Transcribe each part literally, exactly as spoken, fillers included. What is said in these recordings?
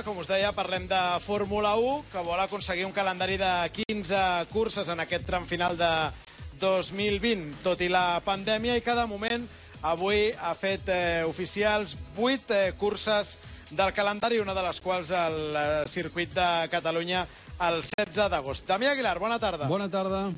Com us deia, parlem de Fórmula u, que vol aconseguir un calendari de quinze curses en aquest tram final de dos mil vint, tot i la pandèmia, i cada moment avui ha fet eh, oficials vuit eh, curses del calendari, una de les quals el eh, circuit de Catalunya el setze d'agost. Damià Aguilar, bona tarda. Bona tarda.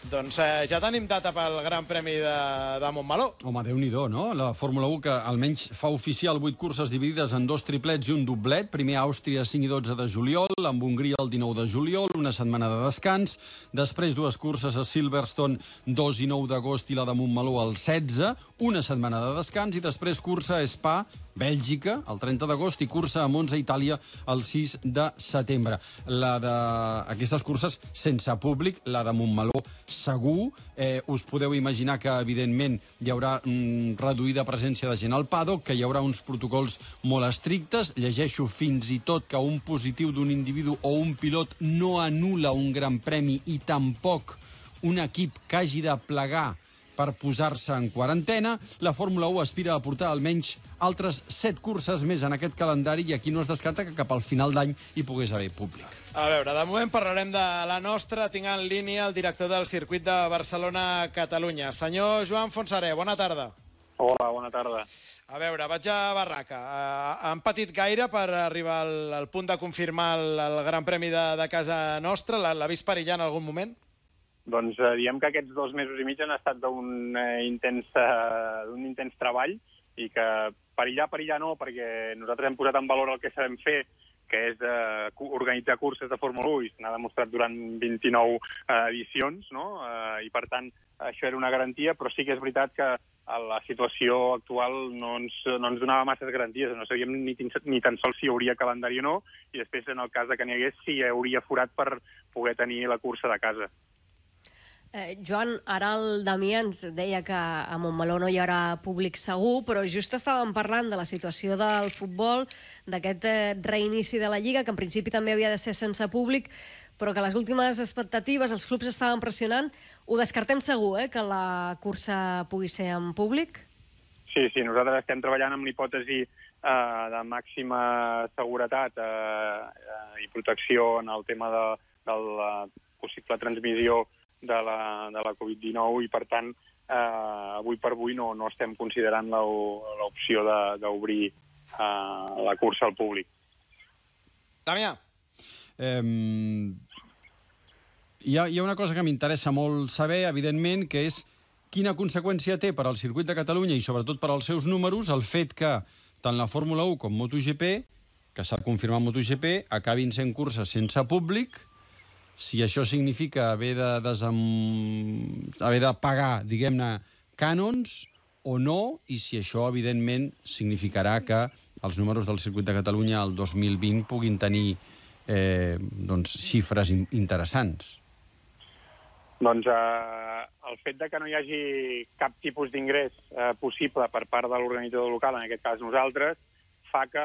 Doncs eh, ja tenim data pel Gran Premi de, de Montmeló. Home, Déu-n'hi-do, no? La Fórmula u que almenys fa oficial vuit curses dividides en dos triplets i un doblet. Primer a Àustria, cinc i dotze de juliol, amb Hongria el dinou de juliol, una setmana de descans. Després dues curses a Silverstone, dos i nou d'agost, i la de Montmeló el setze, una setmana de descans, i després cursa a Spa, Bèlgica, el trenta d'agost, i cursa a Monza, Itàlia, el sis de setembre. La de... Aquestes curses sense públic, la de Montmeló segur. Eh, us podeu imaginar que, evidentment, hi haurà mm, reduïda presència de gent al paddock, que hi haurà uns protocols molt estrictes. Llegeixo fins i tot que un positiu d'un individu o un pilot no anul·la un gran premi i tampoc un equip que hagi de plegar per posar-se en quarantena. La Fórmula u aspira a portar almenys altres set curses més en aquest calendari, i aquí no es descarta que cap al final d'any hi pogués haver públic. A veure, de moment parlarem de la nostra. Tinc en línia el director del circuit de Barcelona-Catalunya. Senyor Joan Fonsaré, bona tarda. Hola, bona tarda. A veure, vaig a Barraca. Uh, han patit gaire per arribar al, al punt de confirmar el, el Gran Premi de, de casa nostra? L'ha vist perillar en algun moment? Doncs eh, diem que aquests dos mesos i mig han estat d'un eh, intens, eh, d'un intens treball, i que perillar, perillar no, perquè nosaltres hem posat en valor el que sabem fer, que és eh, organitzar curses de Fórmula u, i se n'ha demostrat durant vint-i-nou eh, edicions, no? Eh, i per tant això era una garantia, però sí que és veritat que la situació actual no ens, no ens donava masses garanties, no sabíem ni, ni tan sols si hi hauria calendari o no, i després, en el cas de que n'hi hagués, si hi hauria forat per poder tenir la cursa de casa. Eh, Joan, ara el Damià ens deia que a Montmeló no hi haurà públic segur, però just estàvem parlant de la situació del futbol, d'aquest eh, reinici de la Lliga, que en principi també havia de ser sense públic, però que les últimes expectatives, els clubs estaven pressionant. Ho descartem segur, eh, que la cursa pugui ser en públic? Sí, sí, nosaltres estem treballant amb l'hipòtesi eh, de màxima seguretat eh, eh, i protecció en el tema de, de la possible transmissió de la, de la covid dinou, i per tant eh, avui per avui no, no estem considerant l'opció d'obrir eh, la cursa al públic. Damià. Eh, hi, ha, hi ha una cosa que m'interessa molt saber, evidentment, que és quina conseqüència té per al circuit de Catalunya i sobretot per als seus números el fet que tant la Fórmula u com MotoGP, que s'ha confirmat MotoGP, acabin sent curses sense públic. Si això significa haver de, desem... haver de pagar, diguem-ne, cànons o no, i si això, evidentment, significarà que els números del circuit de Catalunya el dos mil vint puguin tenir eh, doncs, xifres interessants. Doncs eh, el fet de que no hi hagi cap tipus d'ingrés eh, possible per part de l'organitzador local, en aquest cas nosaltres, fa que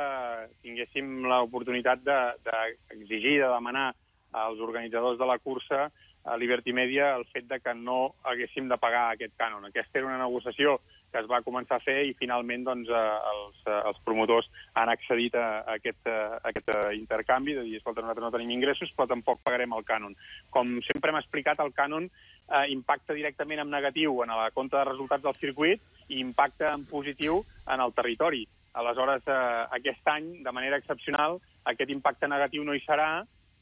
tinguéssim l'oportunitat d'exigir, de, de demanar als organitzadors de la cursa, a Liberty Media, el fet de que no haguéssim de pagar aquest cànon. Aquesta era una negociació que es va començar a fer, i finalment doncs, els, els promotors han accedit a aquest, a aquest intercanvi, de dir, escolta, nosaltres no tenim ingressos, però tampoc pagarem el cànon. Com sempre hem explicat, el cànon eh, impacta directament en negatiu en la compta de resultats del circuit i impacta en positiu en el territori. Aleshores, eh, aquest any, de manera excepcional, aquest impacte negatiu no hi serà,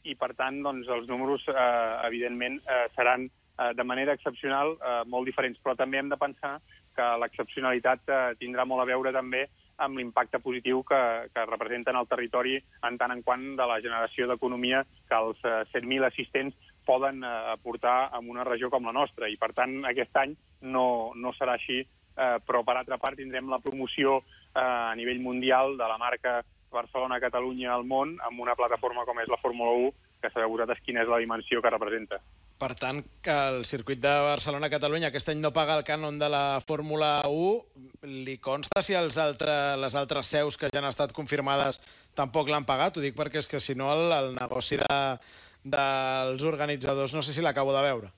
i per tant doncs, els números eh, evidentment eh, seran eh, de manera excepcional eh, molt diferents, però també hem de pensar que l'excepcionalitat eh, tindrà molt a veure també amb l'impacte positiu que, que representa en el territori, en tant en quant de la generació d'economia que els eh, set mil assistents poden eh, aportar en una regió com la nostra, i per tant aquest any no, no serà així, eh, però per altra part tindrem la promoció eh, a nivell mundial de la marca Barcelona-Catalunya al món, amb una plataforma com és la Fórmula u, que sabeu vosaltres quina és la dimensió que representa. Per tant, que el circuit de Barcelona-Catalunya aquest any no paga el cànon de la Fórmula u, li consta si els altre, les altres seus que ja han estat confirmades tampoc l'han pagat? Ho dic perquè és que si no el, el negoci de, dels organitzadors no sé si l'acabo de veure.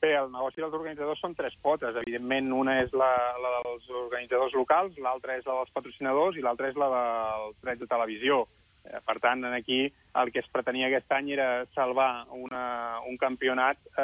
Bé, el negoci dels organitzadors són tres potes. Evidentment, una és la, la dels organitzadors locals, l'altra és la dels patrocinadors i l'altra és la dels drets de televisió. Eh, per tant, aquí el que es pretenia aquest any era salvar una, un campionat eh,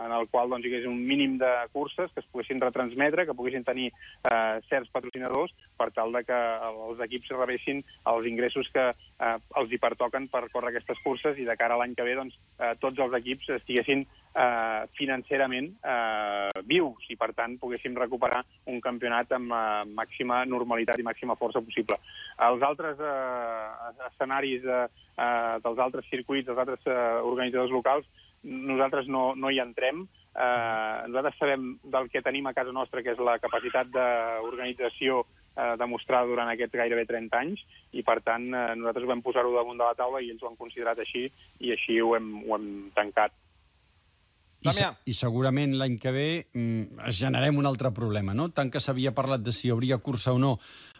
en el qual doncs, hi hagués un mínim de curses que es poguessin retransmetre, que poguessin tenir eh, certs patrocinadors per tal de que els equips rebessin els ingressos que eh, els hi pertoquen per córrer aquestes curses i de cara a l'any que ve doncs, eh, tots els equips estiguessin eh, financerament eh, vius i, per tant, poguéssim recuperar un campionat amb eh, màxima normalitat i màxima força possible. Els altres eh, escenaris eh, eh, dels altres circuits, dels altres eh, organitzadors locals, nosaltres no, no hi entrem. Eh, nosaltres sabem del que tenim a casa nostra, que és la capacitat d'organització eh, demostrada durant aquests gairebé trenta anys, i per tant eh, nosaltres vam posar-ho damunt de la taula i ells ho han considerat així, i així ho hem, ho hem tancat. I, se I segurament l'any que ve mm, generem un altre problema, no? Tant que s'havia parlat de si hi hauria cursa o no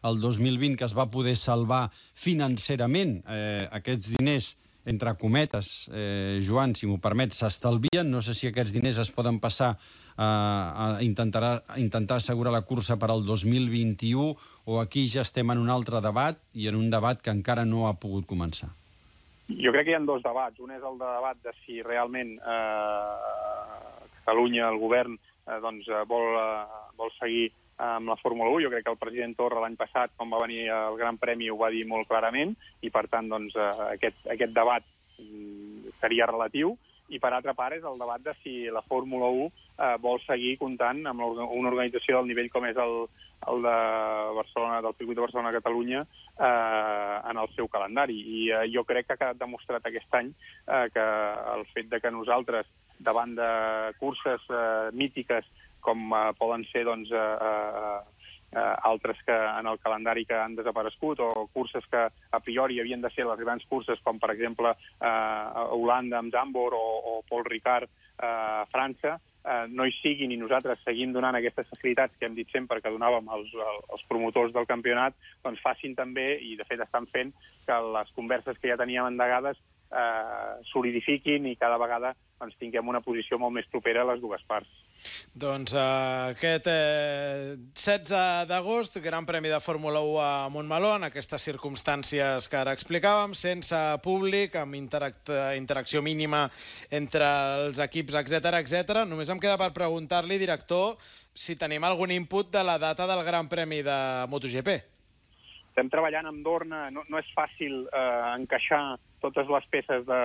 el dos mil vint, que es va poder salvar financerament eh, aquests diners, entre cometes, eh, Joan, si m'ho permet, s'estalvien. No sé si aquests diners es poden passar eh, a, intentar, a intentar assegurar la cursa per al dos mil vint-i-u, o aquí ja estem en un altre debat, i en un debat que encara no ha pogut començar. Jo crec que hi ha dos debats. Un és el debat de si realment eh, Catalunya, el govern, eh, doncs, vol, eh, vol seguir amb la Fórmula u. Jo crec que el president Torra l'any passat, quan va venir el Gran Premi, ho va dir molt clarament, i per tant doncs, eh, aquest, aquest debat mm, seria relatiu. I per altra part és el debat de si la Fórmula u eh, vol seguir comptant amb una organització del nivell com és el, el de Barcelona, del circuit de Barcelona-Catalunya, eh, en el seu calendari. I eh, jo crec que ha quedat demostrat aquest any eh, que el fet de que nosaltres, davant de curses eh, mítiques com eh, poden ser doncs, eh, eh, altres que en el calendari que han desaparegut, o curses que a priori havien de ser les grans curses, com per exemple eh, Holanda amb Zandvoort o, o Paul Ricard eh, a França, eh, no hi siguin, i nosaltres seguim donant aquestes facilitats que hem dit sempre que donàvem als, als promotors del campionat, doncs facin també, i de fet estan fent, que les converses que ja teníem endegades eh, solidifiquin i cada vegada doncs, tinguem una posició molt més propera a les dues parts. Doncs uh, aquest eh, setze d'agost, Gran Premi de Fórmula u a Montmeló, en aquestes circumstàncies que ara explicàvem, sense públic, amb interac interacció mínima entre els equips, etcètera, etcètera. Només em queda per preguntar-li, director, si tenim algun input de la data del Gran Premi de MotoGP. Estem treballant amb Dorna, no, no és fàcil eh, encaixar totes les peces de,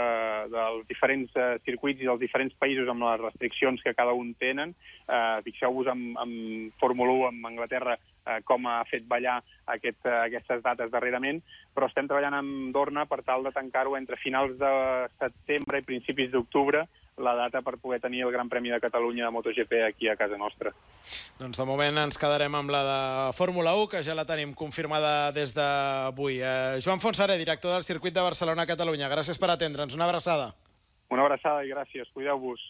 dels diferents eh, circuits i dels diferents països amb les restriccions que cada un tenen. Eh, Fixeu-vos amb, amb Fórmula u, amb Anglaterra, eh, com ha fet ballar aquest, eh, aquestes dates darrerament, però estem treballant amb Dorna per tal de tancar-ho entre finals de setembre i principis d'octubre, la data per poder tenir el Gran Premi de Catalunya de MotoGP aquí a casa nostra. Doncs de moment ens quedarem amb la de Fórmula u, que ja la tenim confirmada des d'avui. Eh, Joan Fontserè, director del circuit de Barcelona-Catalunya, gràcies per atendre'ns. Una abraçada. Una abraçada i gràcies. Cuideu-vos.